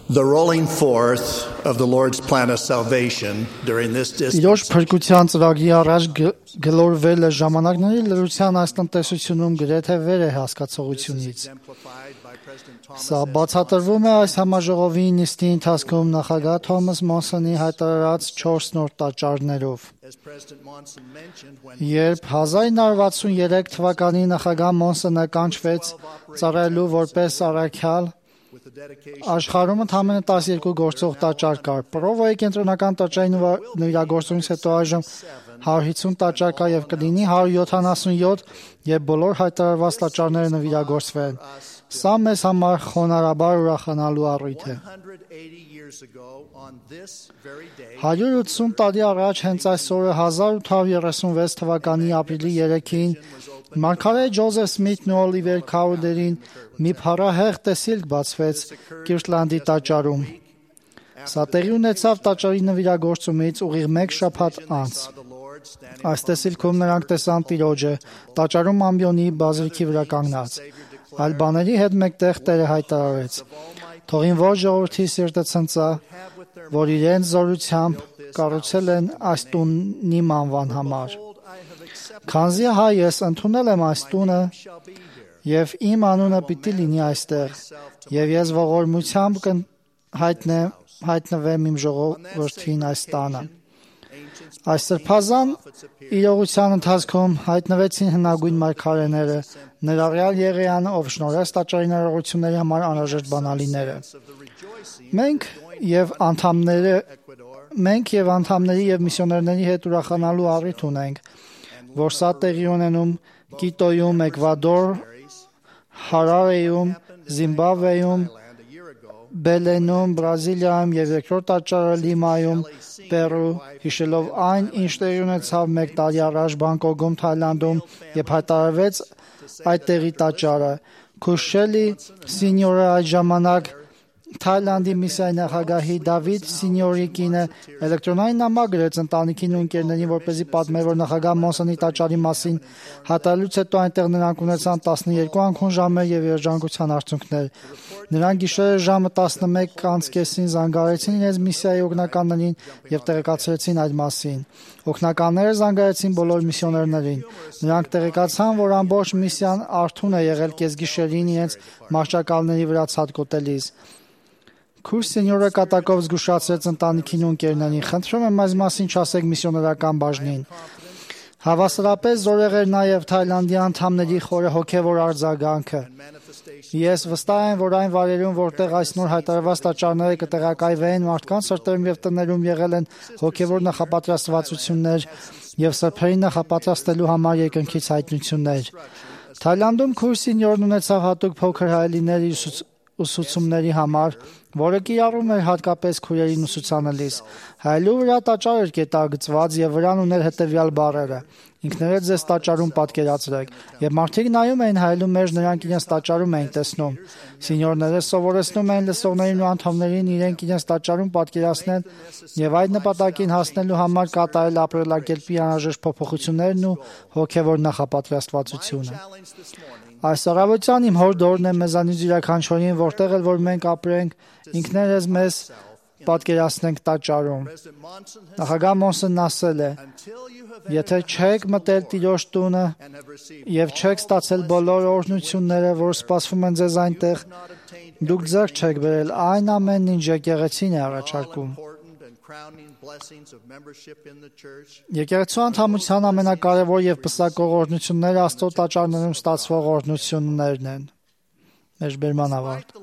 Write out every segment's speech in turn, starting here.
The rolling forth of the Lord's plan of salvation during this Իրոք փրկության ծրագրի առաջ գլորվելը ժամանակների լրության այս տնտեսությունում գրեթե վեր է հասկացողությունից։ Սա բացատրվում է այս համաժողովի նիստի ընթացքում նախագահ Թոմաս Մոնսոնի հայտարարած 4 նոր տաճարներով։ Երբ 1963 թվականին նախագահ Մոնսոնը կանչվեց ծառայելու որպես առաքյալ, աշխարհում ընդամենը 12 գործող տաճար կար։ Պրովոյի կենտրոնական տաճարի նվիրագործությունից հետո այժմ 150 տաճար կա եւ կլինի 177, եւ բոլոր հայտարարված տաճարները նվիրագործվել։ Սա մեզ համար խոնարհաբար ուրախանալու առիթ է։ 180 տարի առաջ հենց այս օրը 1836 թվականի ապրիլի 3-ին մարգարե Ջոզեֆ Սմիթն ու Օլիվեր Քաուդերին մի փառահեղ տեսիլք բացվեց Կիրտլանդի տաճարում։ Սա տեղի ունեցավ տաճարի նվիրագործումից ուղիղ 1 շաբաթ անց։ Այս տեսիլքում նրանք տեսան Տիրոջը տաճարում ամբիոնի բազիլիկի վրա կանգնած։ Այլ բաների հետ մեկտեղ Տերը հայտարարեց. «Թողին որ ժողովրդի սիրտը ցնծա, որ իրենց զորությամբ կառուցել են այս տունն իմ անվան համար։ Քանզի հայ ես ընդունել եմ այս տունը, եւ իմ անունը պիտի լինի այստեղ, եւ ես ողորմությամբ հայտնվեմ իմ ժողովրդին այս տանը»։ Այս սրբազան իրողության ընթացքում հայտնվեցին հնագույն մարգարեները, ներառյալ Եղիան, ով շնորհեց տաճարի ներողությունների համար անհրաժեշտ բանալիները։ Մենք եւ անդամների եւ միսիոներների հետ ուրախանալու առիթ ունենք, որ սա տեղի ունենում Կիտոյում, Էկվադոր, Հարարեյում, Զիմբաբվեում, Բելենում, Բրազիլիայում եւ երկրորդ տաճարը Լիմայում, Պերու, հիշելով այն, ինչ տեղի ունեցավ 1 տարի առաջ Բանգկոկում, Թայլանդում, երբ հայտարարվեց այդ տեղի տաճարը։ Քուշելի սինյորը այդ ժամանակ Թայլանդի միսիայի նախագահի Դավիթ Սինյորի կինը էլեկտրոնային նամակ գրեց ընտանիքին ու ընկերներին, որպեսզի պատմեր, որ նախագահ Մոնսոնի տաճարի մասին հատարելուց հետո այնտեղ նրանք ունեցան 12 անքուն ժամեր եւ երջանկության արդյունքներ։ Նրանք գիշերը ժամը 11:30-ին զանգահարեցին իրենց միսիայի օգնականներին եւ տեղեկացրեցին այդ մասին։ Օգնականները զանգահարեցին բոլոր միսիոներներին։ Նրանք տեղեկացան, որ ամբողջ միսիան արթուն է եղել կեսգիշերին իրենց մարշակալների վրա ցատկոտելիս։ Քուրս սենյորը կատակով զգուշացրեց ընտանիքին ու ընկերներին. «Խնդրում եմ այս մասին չասեք միսիոներական բաժնին»։ Հավասարապես զորեղ էր նաև Թայլանդի անդամների խորը հոգևոր արձագանքը։ Ես վստահ եմ, որ այն վայրերում, որտեղ այս նոր հայտարարված տաճարները կտեղակայվեն, մարդկանց սրտերում եւ տներում եղել են հոգևոր նախապատրաստվածություններ եւ սրբերին նախապատրաստելու համար երկնքից հայտնություններ։ Թայլանդում քուրս սենյորն ունեցավ հատուկ փոքր հայելիներ ուսուցումների համար, որը կիրառում էր հատկապես քույրերին ուսուցանելիս։ Հայելու վրա տաճար էր կետագծված եւ վրան ուներ հետեւյալ բառերը. «Ինքներդ ձեզ տաճարում պատկերացրեք», եւ մարդիկ նայում էին հայելու մեջ, նրանք իրենց տաճարում էին տեսնում։ Սենյորները սովորեցնում էին լսողներին ու անդամներին իրենք իրենց տաճարում պատկերացնել եւ այդ նպատակին հասնելու համար կատարել ապրելակերպի անհրաժեշտ փոփոխություններն ու հոգեվոր նախապատրաստվածությունը։ Այս առավոտյան իմ հոր դորն է մեզանից յուրաքանչյուրին, որտեղ էլ որ մենք ապրենք, ինքներս մեզ պատկերացնենք տաճարում։ Նախագահ Մոնսոնն ասել է. «Եթե չեք մտել Տիրոջ տունը եւ չեք ստացել բոլոր օրհնությունները, որ սպասվում են ձեզ այնտեղ, դուք ձեռք չեք բերել այն ամենն, ինչ եկեղեցին է առաջարկում»։ Եկեղեցու անդամության ամենակարևոր եւ պսակող օրհնությունները Աստծո տաճարներում ստացվող օրհնություններն են։ Մեջբերման ավարտ։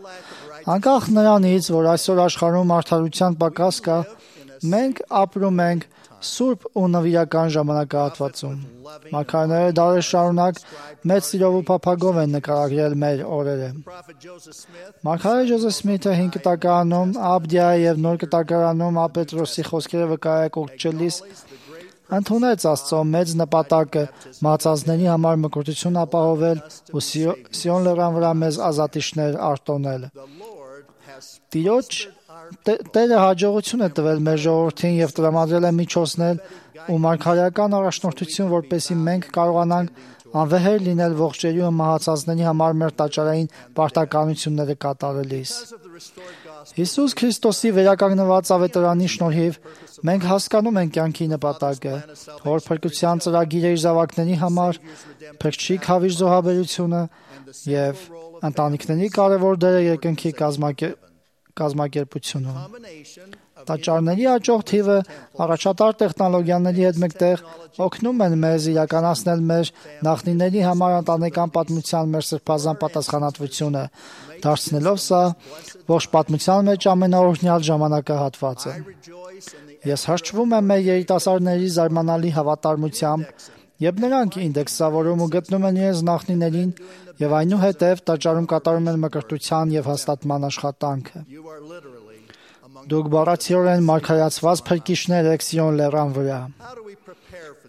Անկախ նրանից, որ այսօր աշխարհում արդարության պակաս կա, մենք ապրում ենք սուրբ ու նվիրական ժամանակահատվածում։ Մարգարեները դարեր շարունակ մեծ սիրով ու փափագով են նկարագրել մեր օրերը։ Մարգարե Ջոզեֆ Սմիթը 5 կտակարանում Աբդիայի եւ նոր կտակարանում Ապետրոսի խոսքերը վկայակոչելիս ընդունեց Աստծո մեծ նպատակը մածածների համար մկրտություն ապահովել ու Սիոն լեռան վրա մեզ ազատիչներ արտոնել։ Տերը հաջողություն է տվել մեր ժողովրդին եւ տրամադրել է միջոցներ ու մարգարեական առաջնորդություն, որպեսզի մենք կարողանանք անվեհեր լինել ողջերի ու մահացածների համար մեր տաճարային պարտականությունները կատարելիս։ Հիսուս Քրիստոսի վերականգնված ավետարանի շնորհիվ մենք հասկանում ենք կյանքի նպատակը, որ փրկության ծրագիրը իր զավակների համար, փրկչի քավիր զոհաբերությունը եւ ընտանիքների կարևոր դերը երկնքի կազմակերպությունում։ Տաճարների աճող թիվը առաջատար տեխնոլոգիաների հետ մեկտեղ օգնում են մեզ իրականացնել մեր նախնիների համար ընտանեկան պատմության մեր սրբազան պատասխանատվությունը, դարձնելով սա ողջ պատմության մեջ ամենաօրհնյալ ժամանակահատվածը։ Ես հրճվում եմ մեր երիտասարդների զարմանալի հավատարմությամբ, երբ նրանք ինդեքսավորում ու գտնում են իրենց նախնիներին եւ այնուհետեւ տաճարում կատարում են մկրտության եւ հաստատման աշխատանքը։ Դուք բառացիորեն մարգարացված փրկիչներ եք Սիոն լեռան վրա։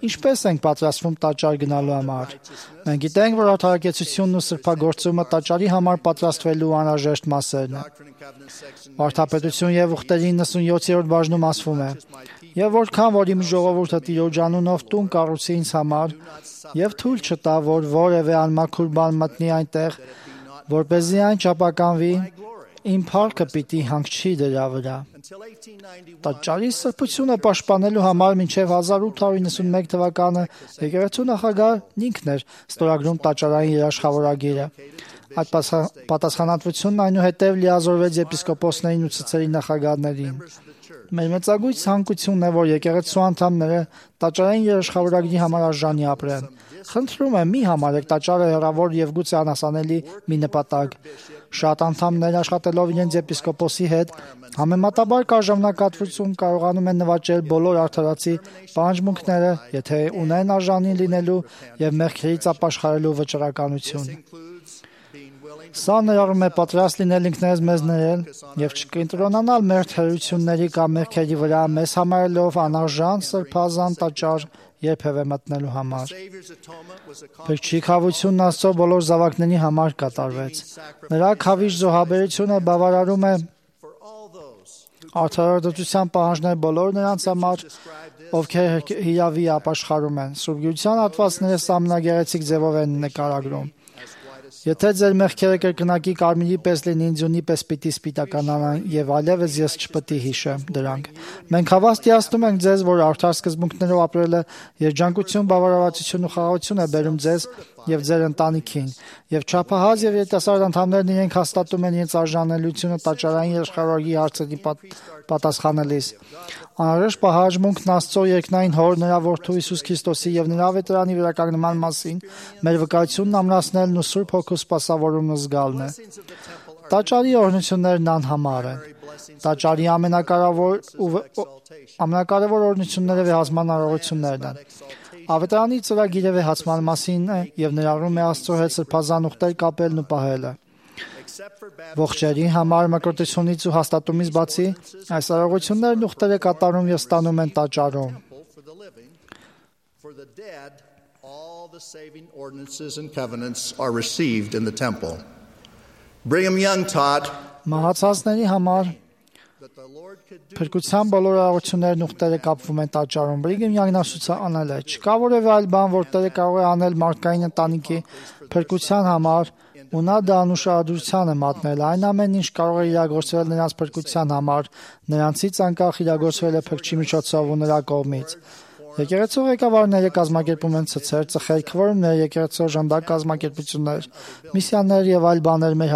Ինչպես ենք պատրաստվում տաճար գնալու համար։ Մենք գիտենք, որ արդարակեցությունն ու սրբագործումը տաճարի համար պատրաստվելու անհրաժեշտ մասերն են։ Վարդապետություն եւ ուխտերի 97-րդ բաժնում ասվում է. «Եվ որքան որ իմ ժողովուրդը Տիրոջ անունով տուն կառուցի ինձ համար, եւ թույլ չտա, որ որևէ անմաքուր բան մտնի այնտեղ, որպեսզի այն չապականվի, իմ փառքը պիտի հանգչի դրա վրա»։ Տաճարի սրբությունը պաշտպանելու համար մինչև 1891 թվականը եկեղեցու նախագահն ինքն էր ստորագրում տաճարային երաշխավորագիրը։ Այդ պատասխանատվությունն այնուհետև լիազորվեց եպիսկոպոսներին ու ցցերի նախագահներին։ Մեր մեծագույն ցանկությունն է, որ եկեղեցու անդամները տաճարային երաշխավորագիրի համար արժանի ապրեն։ Խնդրում եմ, մի համարեք տաճարը հեռավոր եւ գուցե անհասանելի մի նպատակ։ Շատ անդամներ աշխատելով իրենց եպիսկոպոսի հետ համեմատաբար կարժամնակատվություն կարողանում են նվաճել բոլոր արդարացի պահանջմունքները, եթե ունեն արժանի լինելու եւ մեղքերից ապաշխարելու վճռականություն։ Սա ներառում է պատրաստ լինել ինքներս մեզ ներել եւ չկենտրոնանալ մեր թերությունների կամ մեղքերի վրա, մեզ համարելով անարժան սրբազան տաճար երբևէ մտնելու համար։ Փրկչի քավությունն Աստծո բոլոր զավակների համար կատարվեց։ Նրա քավիժ զոհաբերությունը բավարարում է արդարադատության պահանջներ բոլոր նրանց համար, ովքեր հիրավի ապաշխարում են։ Սուրբ Գիրության հատվածները ամենագեղեցիկ ձևով են նկարագրում։ Եթե ձեր մեղքերը կրկնակի կարմիրի պես լինին, ձյունի պես պիտի սպիտականանան, եւ այլևս ես չպիտի հիշեմ դրանք։ Մենք հավաստիացնում ենք ձեզ, որ արդար սկզբունքներով ապրելը երջանկություն, բավարարվածություն ու խաղաղություն է բերում ձեզ եւ ձեր ընտանիքին, եւ չափահաս եւ երիտասարդ անդամներն իրենք հաստատում են իրենց արժանելիությունը տաճարային երաշխավորագի հարցերի պատասխանելիս։ Անհրաժեշտ պահանջմունքն Աստծո երկնային Հոր, նրա Որդու Հիսուս Քրիստոսի եւ նրա ավետարանի վերականգնման մասին մեր վկայությունն ամրացնելն ու Սուրբ Հոգու սպասավորումն զգալն է։ Տաճարի օրհնություններն անհամար են։ Տաճարի ամենակարևոր օրհնությունները վեհացման արարողություններն են։ Ավետարանի ծրագիրը վեհացման մասին է եւ ներառում է Աստծո հետ սրբազան ուխտեր կապելն ու պահելը։ Ողջերի համար մկրտությունից ու հաստատումից բացի, այս արարողություններն ուխտերը կատարում եւ ստանում են տաճարում։ Մահացածների համար փրկության բոլոր արարողություններն ուխտերը կապվում են տաճարում։ Բրիգեմ Յանգն ասանել է. «Չկա որևէ այլ բան, որ Տերը կարող է անել մարդկային ընտանիքի փրկության համար, ու նա դա անուշադրության է մատնել։ Այն ամեն ինչ կարող է իրագործվել նրանց փրկության համար, նրանցից անկախ իրագործվել է փրկչի միջոցով ու նրա կողմից։ Եկեղեցու ղեկավարները կազմակերպում են ցցեր, ծխեր, քվորումներ, եկեղեցու ժանդակ կազմակերպություններ, միսիաներ եւ այլ բաներ մեր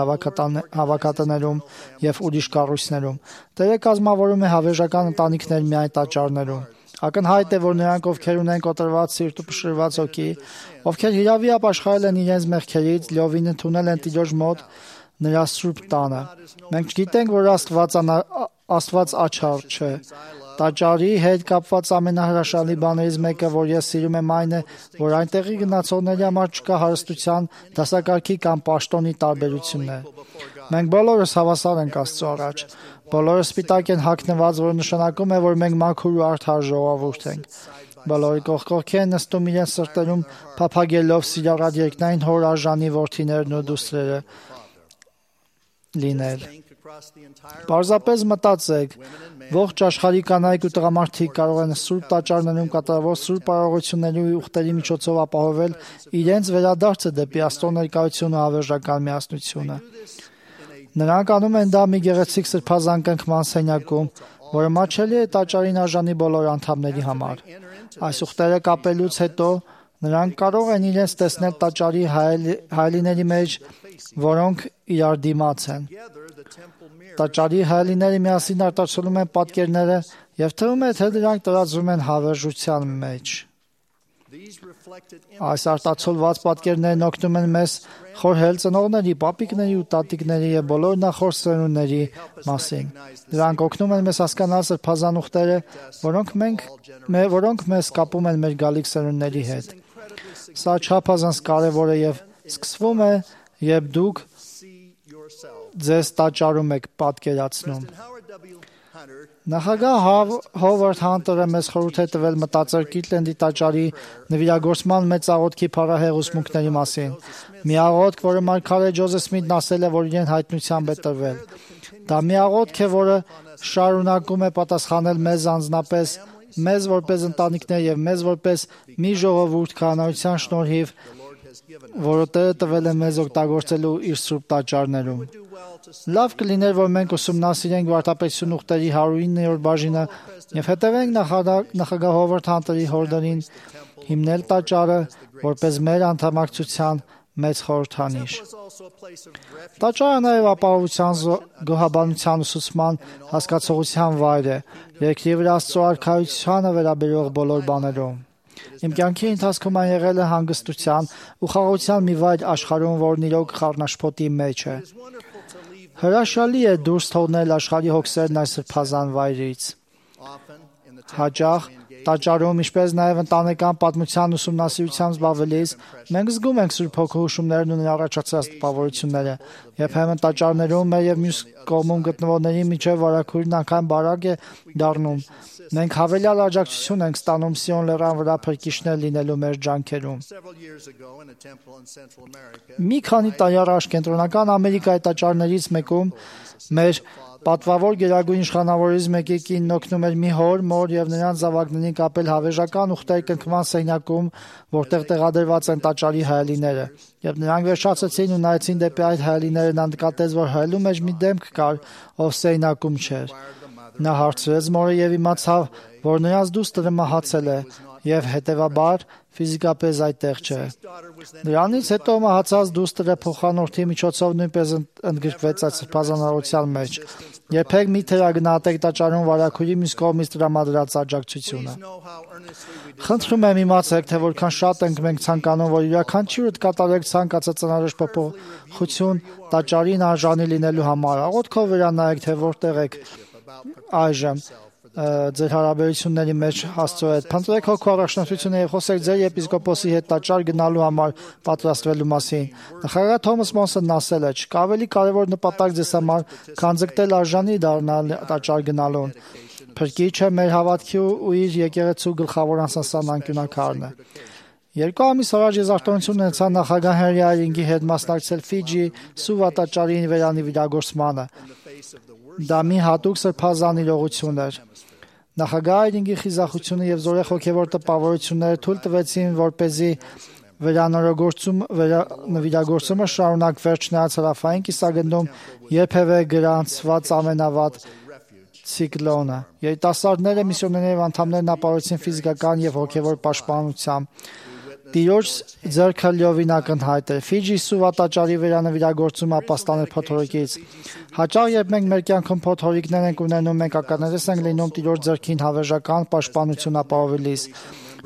հավաքատներում եւ ուրիշ կառույցներում։ Տերը կազմավորում է հավերժական ընտանիքներ միայն տաճարներում։ Ակնհայտ է, որ նրանք, ովքեր ունեն կոտրված սիրտ ու փշրված հոգի, ովքեր հիրավի ապաշխարել են իրենց մեղքերից, լիովին ընդունել են Տիրոջ մոտ նրա սուրբ տանը։ Մենք գիտենք, որ Աստված աչառ չէ։ Տաճարի հետ կապված ամենահրաշալի բաներից մեկը, որ ես սիրում եմ, այն է, որ այնտեղի գնացողների համար չկա հարստության, դասակարգի կամ պաշտոնի տարբերություններ։ Մենք բոլորս հավասար ենք Աստծո առաջ։ Բոլորը սպիտակ են հագնված, որը նշանակում է, որ մենք մաքուր ու արդար ժողովուրդ ենք։ Բոլորը կողքի են նստում իրենց սրտերում, փափագելով սիրառատ երկնային Հոր արժանի որդիներն ու դուստրերը լինել։ Պարզապես մտածեք, ողջ աշխարհի կանայք ու տղամարդիկ կարող են սուրբ տաճարներում կատարվող սուրբ արարողությունների ու ուխտերի միջոցով ապահովել իրենց վերադարձը դեպի Աստծո ներկայությունը ու հավերժական միասնությունը։ Նրանք անում են դա մի գեղեցիկ սրբազան կնքման սենյակում, որը մատչելի է տաճարին արժանի բոլոր անդամների համար։ Այս ուխտերը կապելուց հետո նրանք կարող են իրենց տեսնել տաճարի հայելիների մեջ, որոնք իրար դիմաց են։ Տաճարի հայելիները միասին արտացոլում են պատկերները եւ թվում է, թե դրանք տարածվում են հավերժության մեջ։ Այս արտացոլված պատկերներն օգնում են մեզ խորհել ծնողների, պապիկների ու տատիկների եւ բոլոր նախորդ սերունդների մասին։ Դրանք օգնում են մեզ հասկանալ սրբազան ուխտերը, որոնք մեզ կապում են մեր գալիք սերունդների հետ։ Սա չափազանց կարևոր է եւ սկսվում է, երբ դուք ձեզ տաճարում եք պատկերացնում։ Նախագահ Հովարդ Հանտերը մեզ խորհուրդ է տվել մտածել Կիրտլենդի տաճարի նվիրագործման մեծ աղոթքի փառահեղ ուսմունքների մասին։ Մի աղոթք, որը մարգարե Ջոզեֆ Սմիթն ասել է, որ իրեն հայտնությամբ է տրվել։ Դա մի աղոթք է, որը շարունակում է պատասխանել մեզ անձնապես, մեզ որպես ընտանիքներ եւ մեզ որպես մի ժողովուրդ քահանայության շնորհիվ, որը Տերը տվել է մեզ օգտագործելու իր սուրբ տաճարներում։ Լավ կլիներ, որ մենք ուսումնասիրենք վարդապետություն ուխտերի 109-րդ բաժինը եւ հետևենք նախագահ Հովարդ Հանտերի հորդորին հիմնել տաճարը որպես մեր անդամակցության մեծ խորհրդանիշ։ Տաճարը նաև ապահովության, գոհաբանության ուսուցման հասկացողության վայր է, երկրի վրա Աստծո արքայությանը վերաբերող բոլոր բաներում։ Իմ կյանքի ընթացքում այն եղել է հանգստության ու խաղաղության մի վայր աշխարհում, որն իրոք խառնաշփոթի մեջ է։ Հրաշալի է դուրս թողնել աշխարհի հոգսերն այս սրբազան վայրից։ Հաճախ տաճարում, ինչպես նաև ընտանեկան պատմության ուսումնասիրությամբ զբաղվելիս, մենք զգում ենք Սուրբ Հոգու հուշումներն ու նրա առաջացած տպավորությունները։ Երբեմն տաճարներում մեր եւ մյուս կողմում գտնվողների միջև վարակույրն անգամ բարակ է դառնում։ Մենք հավելյալ աջակցություն ենք ստանում Սիոն լեռան վրա փրկիչներ լինելու մեր ջանքերում։ Մի քանի տարի առաջ Կենտրոնական Ամերիկայի տաճարներից մեկում մեր պատվավոր գերագույն իշխանավորից մեկի կինն օգնում էր մի հոր, մոր եւ նրանց զավակներին կապել հավերժական ուխտերի կնքման սենյակում, որտեղ տեղադրված են տաճարի հայելիները։ Երբ նրանք վերջացրեցին ու նայեցին դեպի այդ հայելիները, նա նկատեց, որ հայելու մեջ մի դեմք կար, ով սենյակում չէր։ Նա հարցրեց մորը եւ իմացավ, որ նրանց դուստրը մահացել է եւ հետեւաբար ֆիզիկապես այդտեղ չէ։ Դրանից հետո մահացած դուստրը փոխանորդի միջոցով նույնպես ընդգրկվեց այդ սրբազանության մեջ։ Երբեք մի թերագնահատեք տաճարում վարակույրի մյուս կողմից տրամադրած աջակցությունը։ Խնդրում եմ իմացեք, թե որքան շատ ենք մենք ցանկանում, որ յուրաքանչյուրդ կատարեք ցանկացած անհրաժեշտ փոփոխություն տաճարին արժանի լինելու համար։ Աղոթքով վերանայեք, թե որտեղ եք այժմ ձեր հարաբերությունների մեջ Աստծո հետ։ Փնտրեք Հոգու առաջնորդությունը եւ խոսեք ձեր եպիսկոպոսի հետ տաճար գնալու համար պատրաստվելու մասին։ Նախագահ Թոմաս Մոնսոնն ասել է. «Չկա ավելի կարևոր նպատակ ձեզ համար, քան ձգտել արժանի դառնալ տաճար գնալուն։ Փրկիչը մեր հավատքի ու իր եկեղեցու գլխավոր անսասան անկյունակարն է»։ 2 ամիս առաջ ես արտոնություն ունեցա նախագահ Հենրի Այրինգի հետ մասնակցել Ֆիջի Սուվա տաճարի վերանվիրագործմանը։ Դա մի հատուկ սրբազան իրողություն էր։ Նախագահ Այրինգի խիզախությունը եւ զորեղ հոգեվոր տպավորությունները թույլ տվեցին, որպեսզի վերանվիրագործումը շարունակվեր չնայած հարավային կիսագնդում երբևէ գրանցված ամենավատ ցիկլոնը։ Երիտասարդները, միսիոներները եւ անդամներն ապահովեցին ֆիզիկական եւ հոգեվոր պաշտպանությամբ։ Տիրոջ ձեռքը լիովին ակնհայտ էր։ Ֆիջի Սուվա տաճարի վերանվիրագործումը ապաստան էր փոթորիկից։ Հաճախ երբ մենք մեր կյանքում փոթորիկներ ենք ունենում, մենք ականատես ենք լինում Տիրոջ ձեռքին հավերժական պաշտպանություն ապահովելիս։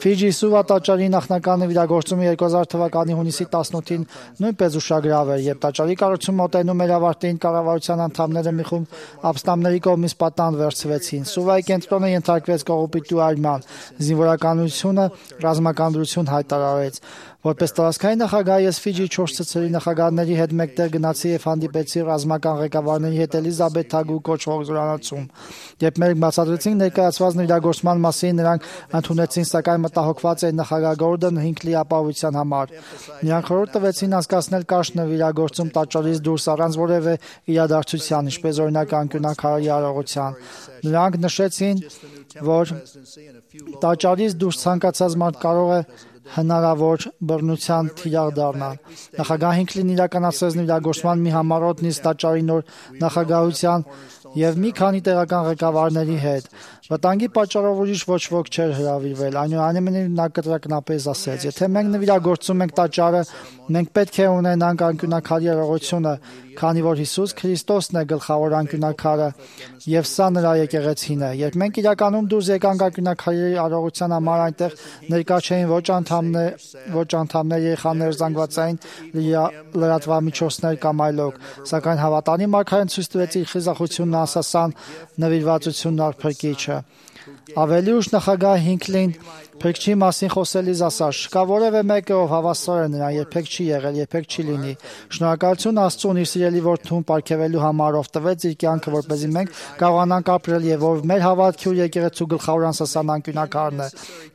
Ֆիջի Սուվա տաճարի նախնական նվիրագործումը 2000 թվականի հունիսի 18-ին նույնպես ուշագրավ էր, երբ տաճարի կառուցումը մոտենում էր ավարտին, կառավարության անդամները մի խումբ ապստամբների կողմից պատանդ վերցվեցին։ Սուվայի կենտրոնը ենթարկվեց կողոպտի այրման, զինվորականությունը ռազմական դրություն հայտարարեց։ Որպես տարածքային նախագահ ես Ֆիջի 4 ցցրի նախագահների հետ մեկտեղ գնացի եւ հանդիպեցի ռազմական ղեկավարների հետ Էլիզաբեթ Թագու կոչվող զորանոցում։ Երբ մեր բացատրեցինք ներկայացված իրագործման մասին, նրանք ընդունեցին, սակայն մտահոգված էին նախագահ Գորդոն Հինքլի ապահովության համար։ Նրանք խորհուրդ տվեցին անցկացնել կարճ նվիրագործում տաճարից դուրս առանց որևէ իրադարձության, ինչպես օրինակ անկյունակարի արարողության։ Նրանք նշեցին, որ տաճարից դուրս ցանկացած մարդ կարող է հնարավոր բռնության թիրախ դառնալ։ Նախագահ Հինքլին իրականացրեց նվիրագործման մի համառոտ նիստ տաճարի նոր նախագահության եւ մի քանի տեղական ղեկավարների հետ։ Վտանգի պատճառով ուրիշ ոչ ոք չէր հրավիրվել։ Այնուամենայնիվ նա կտրակնապես ասեց. «Եթե մենք նվիրագործում ենք տաճարը, մենք պետք է ունենանք անկյունակարի արարողությունը, քանի որ Հիսուս Քրիստոսն է գլխավոր անկյունակարը եւ սա նրա եկեղեցին է։ Երբ մենք իրականում դուրս եկանք անկյունակարի արարողության համար, այնտեղ ներկա չէին ոչ անդամներ, երեխաներ, զանգվածային լրատվամիջոցներ կամ այլոք, սակայն հավատանի մարգարեն ցույց տվեց իր խիզախությունն ասասան նվիրվածությունն արփրկիչը»։ Ավելի ուշ նախագահ Հինքլին Փրկչի մասին խոսելիս ասաց. «Չկա որևէ մեկը, ով հավասար է նրան, երբեք չի եղել, երբեք չի լինի։ Շնորհակալություն Աստծուն իր սիրելի որդուն պարգևելու համար, ով տվեց իր կյանքը, որպեսզի մենք կարողանանք ապրել եւ որ մեր հավատքի ու եկեղեցու գլխավոր անսասան անկյունակարն է։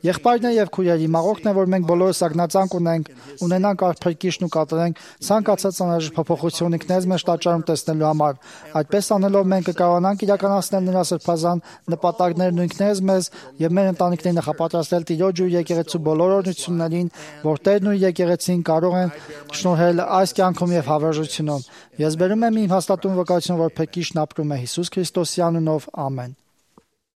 Եղբայրներ եւ քույրեր, մաղորդն է, որ մենք բոլորս ագնացանք ունենանք արփրկիչն ու կատարենք ցանկացած անհրաժեշտ փոփոխություն ինքներս մեջ տաճարում տեսնելու համար։ Այդպես անելով մենք կկարողանանք իրականացնել նրա սրբազան նպատակներն ու ինքներս մեզ եւ մեր ընտանիքներին նախապատրաստել Տիրոջ ու եկեղեցու բոլոր օրհնություններին, որ Տերն ու եկեղեցին կարող են շնորհել այս կյանքում եւ հավերժությունում։ Ես բերում եմ իմ հաստատուն վկայություն, որ Փրկիչն ապրում է Հիսուս Քրիստոսի անունով։ Ամեն։